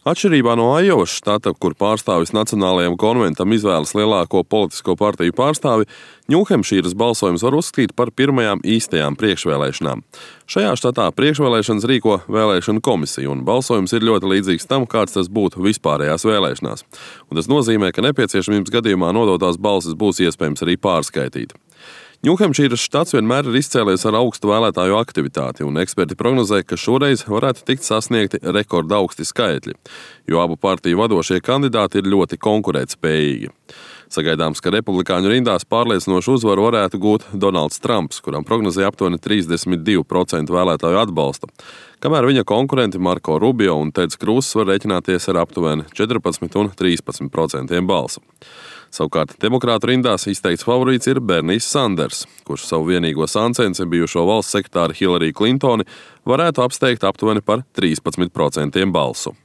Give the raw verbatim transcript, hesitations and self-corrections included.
Atšķirībā no Aiovas štata, kur pārstāvis Nacionālajam konventam izvēlas lielāko politisko partiju pārstāvi, Ņūhempšīras balsojums var uzskatīt par pirmajām īstajām priekšvēlēšanām. Šajā štatā priekšvēlēšanas rīko vēlēšanu komisija, un balsojums ir ļoti līdzīgs tam, kāds tas būtu vispārējās vēlēšanās. Un tas nozīmē, ka nepieciešamības gadījumā nodotās balsis būs iespējams arī pārskaitīt. Ņūhempšīras štats vienmēr ir izcēlies ar augstu vēlētāju aktivitāti, un eksperti prognozē, ka šoreiz varētu tikt sasniegti rekorda augsti skaitļi, jo abu partiju vadošie kandidāti ir ļoti konkurētspējīgi. Sagaidāms, ka republikāņu rindās pārliecinošu uzvaru varētu gūt Donalds Trumps, kuram prognozēja aptuveni trīsdesmit divi procenti vēlētāju atbalsta, kamēr viņa konkurenti Marko Rubio un Teds Krūss var rēķināties ar aptuveni četrpadsmit un trīspadsmit procentiem balsu. Savukārt demokrātu rindās izteikts favorīts ir Bernijs Sanders, kurš savu vienīgo sāncensi bijušo valsts sekretāri Hillary Clintoni varētu apsteigt aptuveni par trīspadsmit procentiem balsu.